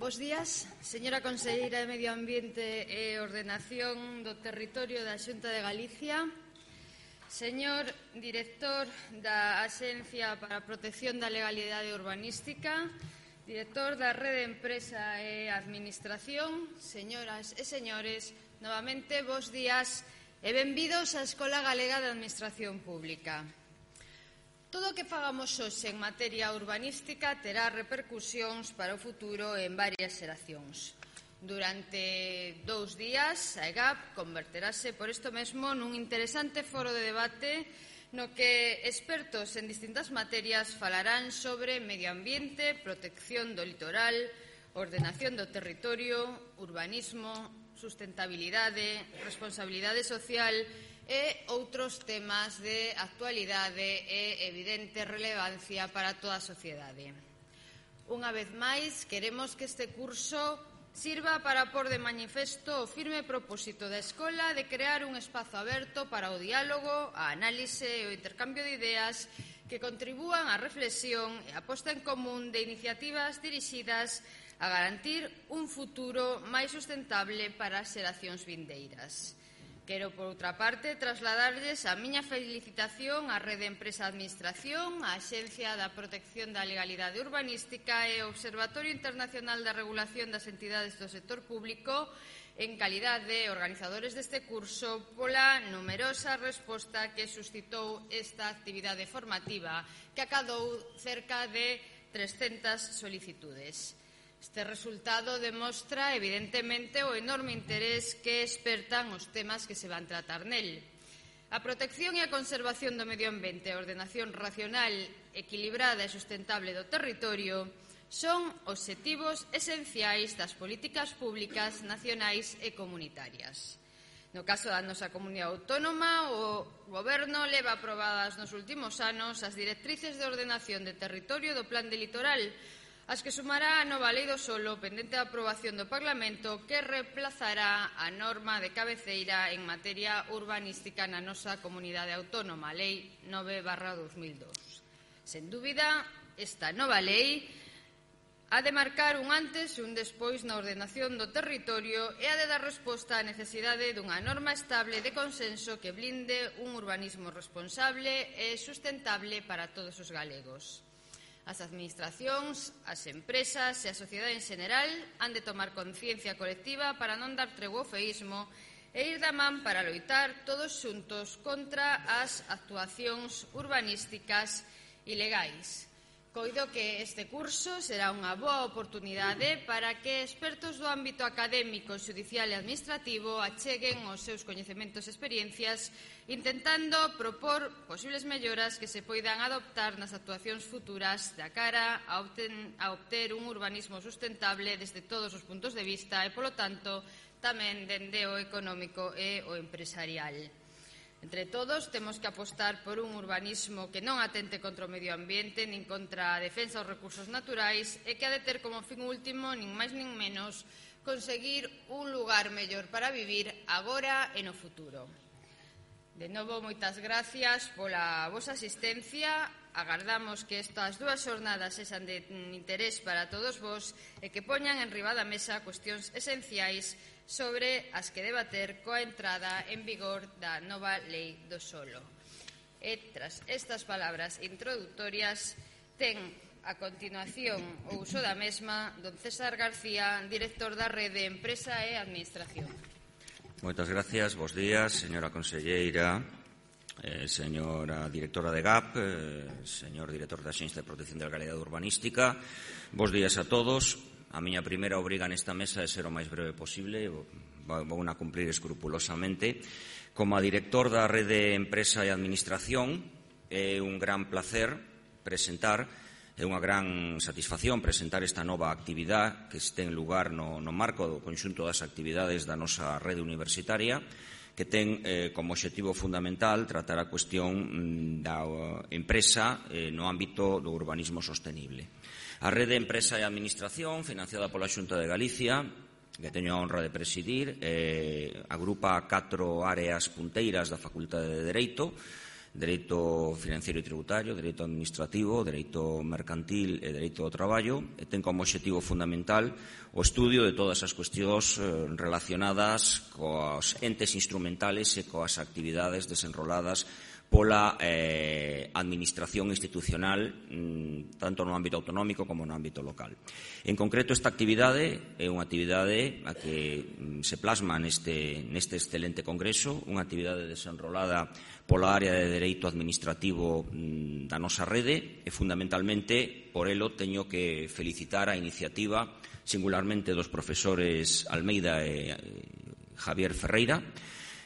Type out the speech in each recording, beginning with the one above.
Bos días, señora conselleira de Medio Ambiente e Ordenación do Territorio da Xunta de Galicia, señor director da Axencia para a Protección da Legalidade Urbanística, director da Rede Empresa e Administración, señoras e señores, novamente, bos días e benvidos á Escola Galega de Administración Pública. Todo o que fagamos hoxe en materia urbanística terá repercusións para o futuro en varias xeracións. Durante 2 días, a EGAP converterase por isto mesmo nun interesante foro de debate no que expertos en distintas materias falarán sobre medio ambiente, protección do litoral, ordenación do territorio, urbanismo, sustentabilidade, responsabilidade social e outros temas de actualidade e evidente relevancia para toda a sociedade. Unha vez máis, queremos que este curso sirva para pôr de manifesto o firme propósito da Escola de crear un espazo aberto para o diálogo, a análise e o intercambio de ideas que contribúan á reflexión e a posta en común de iniciativas dirixidas a garantir un futuro máis sustentable para as xeracións vindeiras. Quero, por outra parte, trasladarlles a miña felicitación á Rede Empresa Administración, á Axencia da Protección da Legalidade Urbanística e ao Observatorio Internacional da Regulación das Entidades do Sector Público en calidade de organizadores deste curso pola numerosa resposta que suscitou esta actividade formativa que acadou cerca de 300 solicitudes. Este resultado demostra, evidentemente, o enorme interés que espertan os temas que se van tratar nel. A protección e a conservación do medio ambiente e a ordenación racional, equilibrada e sustentable do territorio son obxectivos esenciais das políticas públicas nacionais e comunitarias. No caso da nosa comunidade autónoma, o Goberno leva aprobadas nos últimos anos as directrices de ordenación de territorio do Plan de Litoral, as que sumará a nova Lei do Solo pendente da aprobación do Parlamento que reemplazará a norma de cabeceira en materia urbanística na nosa comunidade autónoma, a Lei 9/2002. Sen dúbida, esta nova lei ha de marcar un antes e un despois na ordenación do territorio e ha de dar resposta á necesidade dunha norma estable de consenso que blinde un urbanismo responsable e sustentable para todos os galegos. As administracións, as empresas e a sociedade en xeral han de tomar conciencia colectiva para non dar tregua ao feísmo e ir da man para loitar todos xuntos contra as actuacións urbanísticas ilegais. Coido que este curso será unha boa oportunidade para que expertos do ámbito académico, xudicial e administrativo acheguen os seus coñecementos e experiencias intentando propor posibles melloras que se poidan adoptar nas actuacións futuras da cara a obter un urbanismo sustentable desde todos os puntos de vista e, polo tanto, tamén dende o económico e o empresarial. Entre todos, temos que apostar por un urbanismo que non atente contra o medio ambiente nin contra a defensa dos recursos naturais e que ha de ter como fin último, nin máis nin menos, conseguir un lugar mellor para vivir agora e no futuro. De novo, moitas gracias pola vosa asistencia. Agardamos que estas 2 xornadas sexan de interés para todos vos e que poñan enriba da mesa cuestións esenciais sobre as que debater coa entrada en vigor da nova Lei do Solo. E tras estas palabras introductorias, ten a continuación o uso da mesma don César García, director da Rede Empresa e Administración. Moitas gracias, bos días, señora conselleira, señora directora de GAP, señor director da Axencia de Protección da Legalidade Urbanística. Bos días a todos. A miña primeira obriga nesta mesa é ser o máis breve posible, vou a cumprir escrupulosamente. Como a director da Rede Empresa e Administración, é un gran placer presentar, é unha gran satisfacción presentar esta nova actividade que ten lugar no marco do conxunto das actividades da nosa rede universitaria, que ten como obxectivo fundamental tratar a cuestión da empresa no ámbito do urbanismo sostenible. A Rede Empresa e Administración, financiada pola Xunta de Galicia, que teño a honra de presidir, agrupa 4 áreas punteiras da Facultade de Dereito, dereito financeiro e tributario, dereito administrativo, dereito mercantil e dereito ao traballo, e ten como obxectivo fundamental o estudio de todas as cuestións relacionadas coas entes instrumentales e coas actividades desenroladas pola administración institucional tanto no ámbito autonómico como no ámbito local. En concreto, esta actividade é unha actividade a que se plasma neste excelente congreso, unha actividade desenrolada pola área de dereito administrativo da nosa rede e, fundamentalmente, por elo teño que felicitar a iniciativa singularmente dos profesores Almeida e Javier Ferreira,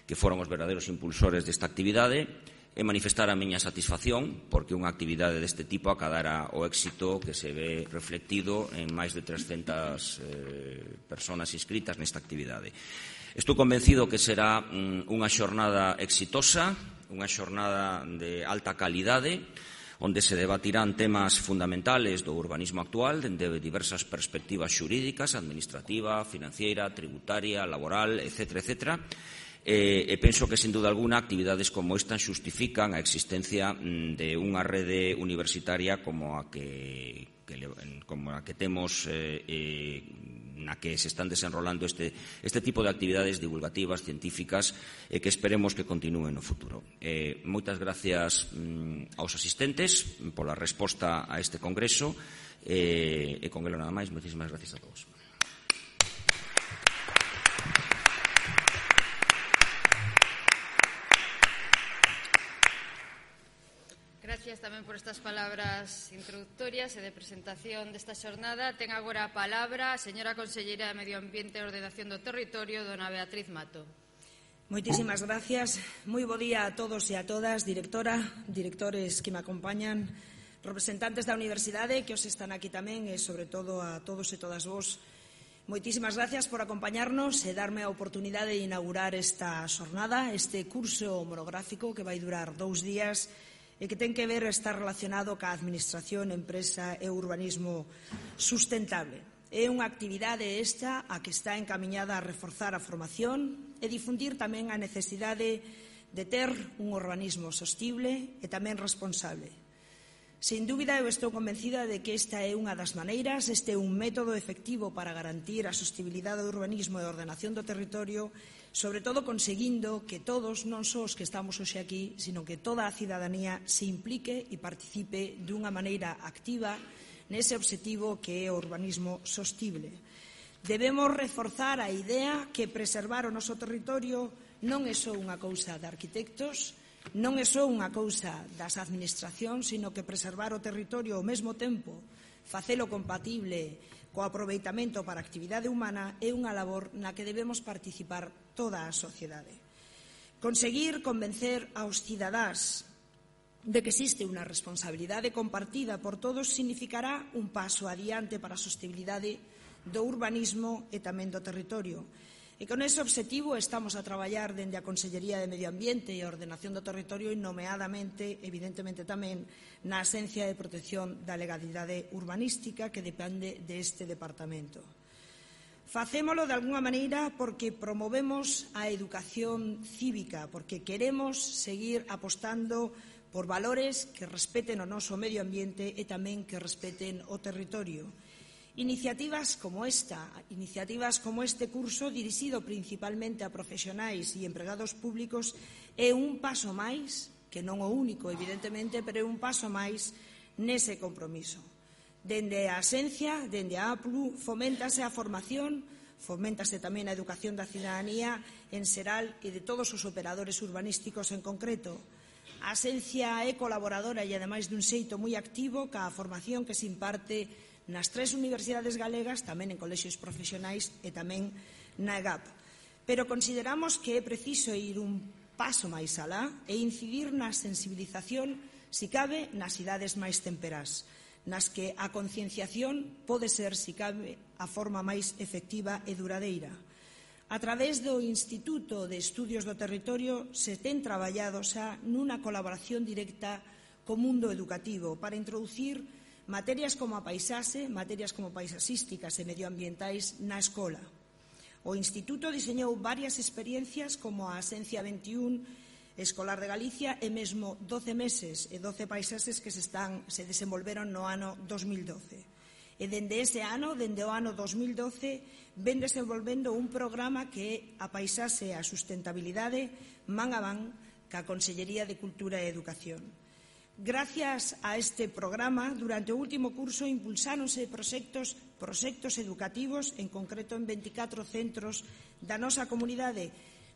que foron os verdadeiros impulsores desta actividade, e manifestar a miña satisfacción porque unha actividade deste tipo acadara o éxito que se ve reflectido en máis de 300 persoas inscritas nesta actividade. Estou convencido que será unha xornada exitosa, unha xornada de alta calidade, onde se debatirán temas fundamentales do urbanismo actual dende diversas perspectivas xurídicas, administrativa, financiera, tributaria, laboral, etc., e penso que, sin duda alguna, actividades como esta xustifican a existencia de unha rede universitaria como a que temos na que se están desenrolando este tipo de actividades divulgativas, científicas, e que esperemos que continúen no futuro. Moitas gracias aos asistentes pola resposta a este congreso e con elo nada máis. Moitísimas gracias a todos. Gracias tamén por estas palabras introductorias e de presentación desta xornada. Ten agora a palabra a señora conselleira de Medio Ambiente e Ordenación do Territorio, dona Beatriz Mato. Moitísimas gracias. Moi bo día a todos e a todas, directora, directores que me acompañan, representantes da Universidade que os están aquí tamén e, sobre todo, a todos e todas vos. Moitísimas gracias por acompañarnos e darme a oportunidade de inaugurar esta xornada, este curso monográfico que vai durar 2 días e que ten que ver estar relacionado ca administración, empresa e urbanismo sustentable. É unha actividade esta a que está encamiñada a reforzar a formación e difundir tamén a necesidade de ter un urbanismo sostible e tamén responsable. Sin dúbida, eu estou convencida de que esta é unha das maneiras, este é un método efectivo para garantir a sostibilidade do urbanismo e a ordenación do territorio, sobre todo conseguindo que todos, non só os que estamos hoxe aquí, sino que toda a cidadanía se implique e participe dunha maneira activa nese obxectivo que é o urbanismo sostible. Debemos reforzar a idea que preservar o noso territorio non é só unha cousa de arquitectos, non é só unha cousa das administracións, sino que preservar o territorio ao mesmo tempo, facelo compatible co aproveitamento para a actividade humana, é unha labor na que debemos participar toda a sociedade. Conseguir convencer aos cidadáns de que existe unha responsabilidade compartida por todos significará un paso adiante para a sostenibilidade do urbanismo e tamén do territorio. E con ese obxectivo estamos a traballar dende a Consellería de Medio Ambiente e a Ordenación do Territorio e nomeadamente, evidentemente tamén, na Axencia de Protección da Legalidade Urbanística que depende deste departamento. Facémolo de alguna maneira porque promovemos a educación cívica, porque queremos seguir apostando por valores que respeten o noso medio ambiente e tamén que respeten o territorio. Iniciativas como este curso, dirixido principalmente a profesionais e empregados públicos, é un paso máis, que non o único, evidentemente, pero é un paso máis nese compromiso. Dende a Axencia, dende a APLU, foméntase a formación, foméntase tamén a educación da cidadanía en xeral e de todos os operadores urbanísticos en concreto. A Axencia é colaboradora e, ademais, dun xeito moi activo ca formación que se imparte nas 3 universidades galegas, tamén en colexios profesionais e tamén na EGAP. Pero consideramos que é preciso ir un paso máis alá e incidir na sensibilización, si cabe, nas idades máis temperás, nas que a concienciación pode ser, si cabe, a forma máis efectiva e duradeira. A través do Instituto de Estudios do Territorio se ten traballado xa nunha colaboración directa co mundo educativo para introducir materias como a paisaxe, materias como paisaxísticas e medioambientais na escola. O Instituto diseñou varias experiencias como a Axencia 21 Escolar de Galicia e mesmo 12 meses e 12 paisaxes que se desenvolveron no ano 2012. E dende ese ano, dende o ano 2012, ven desenvolvendo un programa que é a paisaxe e a sustentabilidade man a man ca Consellería de Cultura e Educación. Gracias a este programa, durante o último curso impulsáronse proxectos educativos, en concreto en 24 centros da nosa comunidade,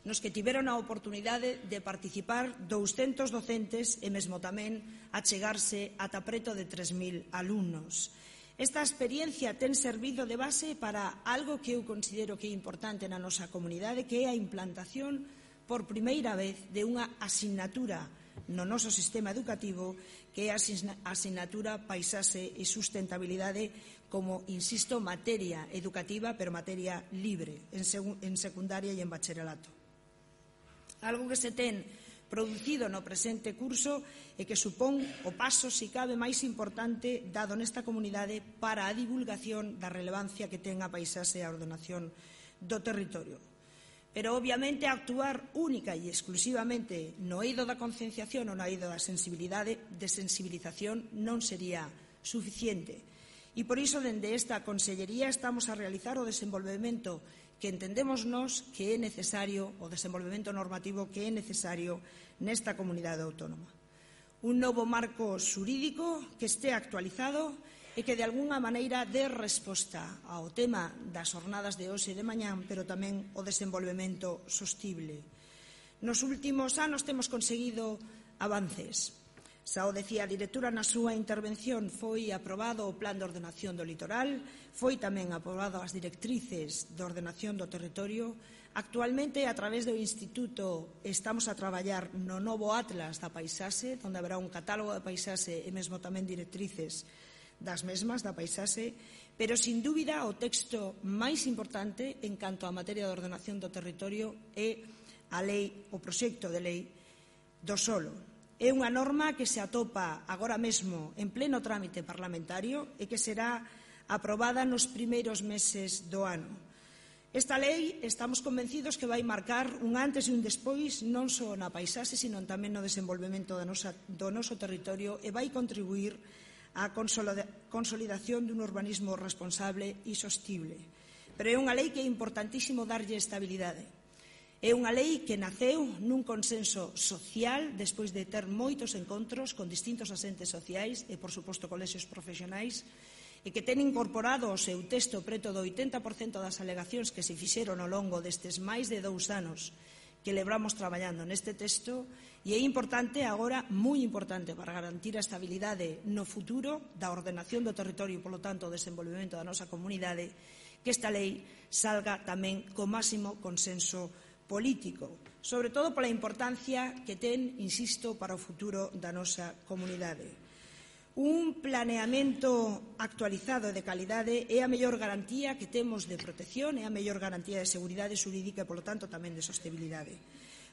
nos que tiveron a oportunidade de participar 200 docentes e mesmo tamén achegarse ata preto de 3.000 alumnos. Esta experiencia ten servido de base para algo que eu considero que é importante na nosa comunidade, que é a implantación por primeira vez de unha asignatura no noso sistema educativo, que é a asignatura Paisaxe e Sustentabilidade como, insisto, materia educativa, pero materia libre, en secundaria e en bacharelato. Algo que se ten producido no presente curso e que supón o paso, se cabe, máis importante dado nesta comunidade para a divulgación da relevancia que ten a paisaxe e a ordenación do territorio. Pero, obviamente, actuar única e exclusivamente no eido da concienciación ou no eido da sensibilización non sería suficiente. E, por iso, dende esta Consellería estamos a realizar o desenvolvemento que entendemos nós que é necesario, o desenvolvemento normativo que é necesario nesta comunidade autónoma. Un novo marco xurídico que este actualizado e que de algunha maneira dé resposta ao tema das jornadas de hoxe e de mañán, pero tamén o desenvolvemento sostible. Nos últimos anos temos conseguido avances. Xa o decía a directora na súa intervención, foi aprobado o Plan de Ordenación do Litoral, foi tamén aprobado as directrices de ordenación do territorio. Actualmente, a través do Instituto, estamos a traballar no novo Atlas da Paisaxe, onde haberá un catálogo de paisaxe e mesmo tamén directrices das mesmas, da paisaxe, pero, sin dúbida, o texto máis importante en canto á materia de ordenación do territorio é a lei, o proxecto de lei do solo. É unha norma que se atopa agora mesmo en pleno trámite parlamentario e que será aprobada nos primeiros meses do ano. Esta lei estamos convencidos que vai marcar un antes e un despois non só na paisaxe, sino tamén no desenvolvemento do noso territorio e vai contribuir á consolidación dun urbanismo responsable e sostible. Pero é unha lei que é importantísimo darlle estabilidade. É unha lei que naceu nun consenso social despois de ter moitos encontros con distintos asentes sociais e, por suposto, colexios profesionais, e que ten incorporado ao seu texto preto do 80% das alegacións que se fixeron ao longo destes máis de 2 anos que lebramos traballando neste texto, e é importante agora, moi importante, para garantir a estabilidade no futuro da ordenación do territorio e, polo tanto, o desenvolvemento da nosa comunidade, que esta lei salga tamén co máximo consenso político, sobre todo pola importancia que ten, insisto, para o futuro da nosa comunidade. Un planeamento actualizado de calidade é a mellor garantía que temos de protección, é a mellor garantía de seguridade xurídica e, polo tanto, tamén de sostenibilidade.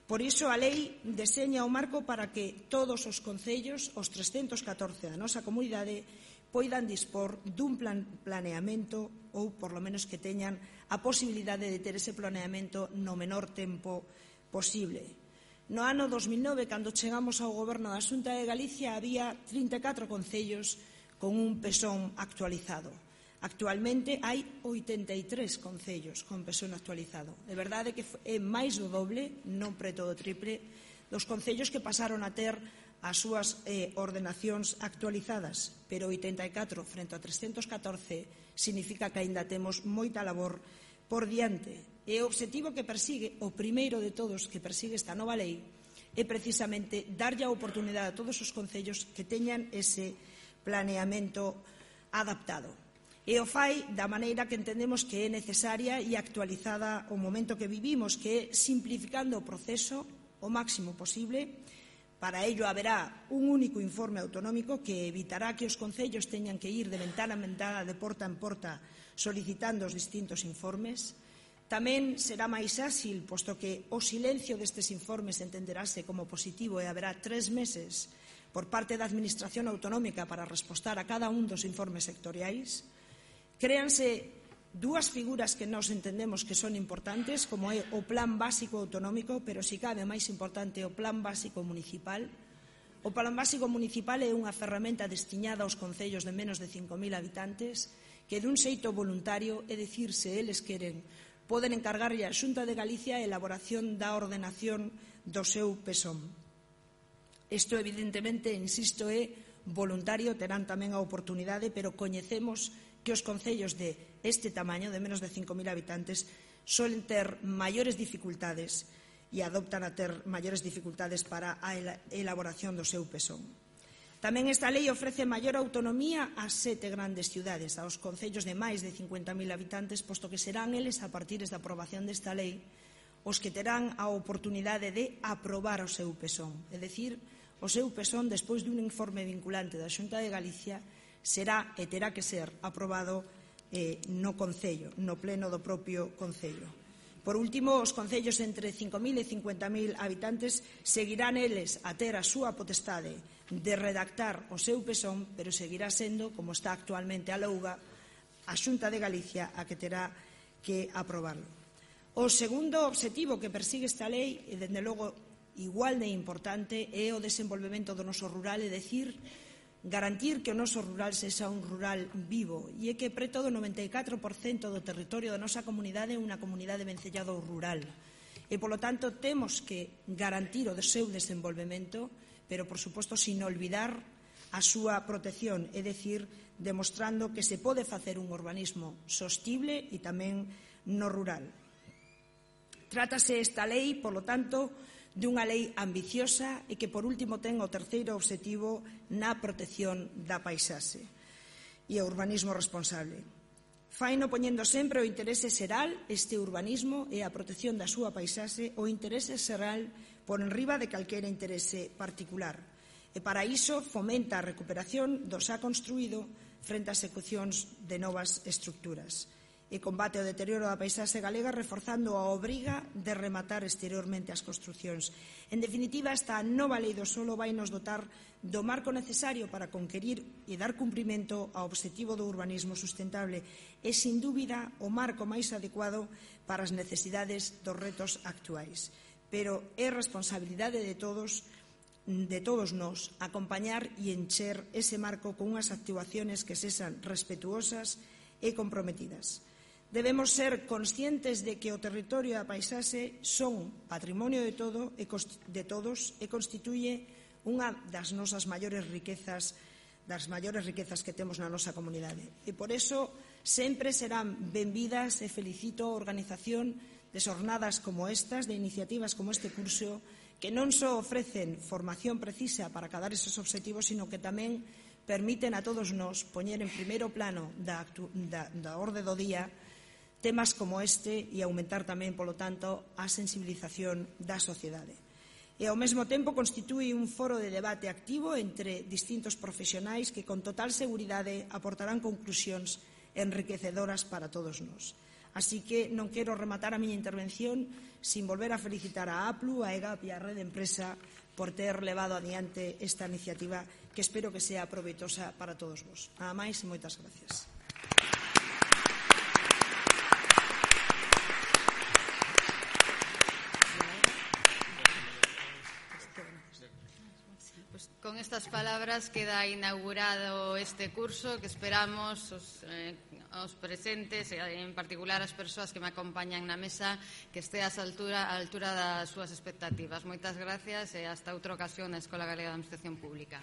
Por iso, a lei deseña o marco para que todos os concellos, os 314 da nosa comunidade, poidan dispor dun planeamento ou, por lo menos, que teñan a posibilidade de ter ese planeamento no menor tempo posible. No ano 2009, cando chegamos ao goberno da Xunta de Galicia, había 34 concellos con un PESON actualizado. Actualmente hai 83 concellos con PESON actualizado. De verdade que é máis do doble, non preto do triple, dos concellos que pasaron a ter as súas ordenacións actualizadas, pero 84 frente a 314 significa que aínda temos moita labor por diante. E o obxectivo que persigue, o primeiro de todos que persigue esta nova lei, é precisamente darlle a oportunidade a todos os concellos que teñan ese planeamento adaptado. E o fai da maneira que entendemos que é necesaria e actualizada o momento que vivimos, que é simplificando o proceso o máximo posible. Para ello haberá un único informe autonómico que evitará que os concellos teñan que ir de ventana en ventana, de porta en porta, solicitando os distintos informes. Tamén será máis áxil, posto que o silencio destes informes entenderase como positivo e haberá 3 meses por parte da Administración autonómica para respostar a cada un dos informes sectoriais. Créanse dúas figuras que nós entendemos que son importantes, como é o Plan Básico Autonómico, pero si cabe máis importante o Plan Básico Municipal. O Plan Básico Municipal é unha ferramenta destiñada aos concellos de menos de 5.000 habitantes que dun xeito voluntario, é dicir, se eles queren, poden encargarlle á Xunta de Galicia a elaboración da ordenación do seu PESOM. Isto, evidentemente, insisto, é voluntario, terán tamén a oportunidade, pero coñecemos que os concellos de este tamaño, de menos de 5.000 habitantes, solen ter maiores dificultades e adoptan a ter maiores dificultades para a elaboración do seu PESOM. Tamén esta lei ofrece maior autonomía ás 7 grandes ciudades, aos concellos de máis de 50.000 habitantes, posto que serán eles, a partir da aprobación desta lei, os que terán a oportunidade de aprobar o seu PESOM. É dicir, o seu PESOM, despois dun informe vinculante da Xunta de Galicia, será e terá que ser aprobado no Concello, no pleno do propio Concello. Por último, os concellos entre 5.000 e 50.000 habitantes seguirán eles a ter a súa potestade de redactar o seu PESOM, pero seguirá sendo, como está actualmente a louga, a Xunta de Galicia a que terá que aprobarlo. O segundo obxectivo que persigue esta lei, e dende logo igual de importante, é o desenvolvemento do noso rural, é dicir, garantir que o noso rural sexa un rural vivo, e é que preto do 94% do territorio da nosa comunidade é unha comunidade vencellada ao rural. E, polo tanto, temos que garantir o seu desenvolvemento, pero, por suposto, sin olvidar a súa protección, é dicir, demostrando que se pode facer un urbanismo sostible e tamén no rural. Trátase esta lei, polo tanto, dunha lei ambiciosa e que, por último, ten o terceiro obxectivo na protección da paisaxe e o urbanismo responsable. Faino poñendo sempre o interese xeral, este urbanismo e a protección da súa paisaxe, o interese xeral por enriba de calquera interese particular. E para iso fomenta a recuperación do xa construído frente ás execucións de novas estructuras. E combate o deterioro da paisaxe galega reforzando a obriga de rematar exteriormente as construcións. En definitiva, esta nova lei do solo vai nos dotar do marco necesario para conquerir e dar cumprimento ao obxectivo do urbanismo sustentable e, sin dúbida, o marco máis adecuado para as necesidades dos retos actuais. Pero é responsabilidade de todos nós acompañar e encher ese marco con unhas actuaciones que sexan respetuosas e comprometidas. Debemos ser conscientes de que o territorio e a paisaxe son patrimonio de todos e constituye unha das nosas maiores riquezas que temos na nosa comunidade. E por iso sempre serán benvidas e felicito a organización de xornadas como estas, de iniciativas como este curso, que non só ofrecen formación precisa para acadar esos obxectivos, sino que tamén permiten a todos nós poñer en primeiro plano da orde do día temas como este e aumentar tamén, polo tanto, a sensibilización da sociedade. E, ao mesmo tempo, constitúe un foro de debate activo entre distintos profesionais que, con total seguridade, aportarán conclusións enriquecedoras para todos nós. Así que non quero rematar a miña intervención sin volver a felicitar a APLU, a EGAP e a Rede Empresa por ter levado adiante esta iniciativa que espero que sea proveitosa para todos vos. Nada máis e moitas gracias. Con estas palabras queda inaugurado este curso que esperamos os presentes e en particular as persoas que me acompañan na mesa que este a altura das súas expectativas. Moitas gracias e hasta outra ocasión na Escola Galega de Administración Pública.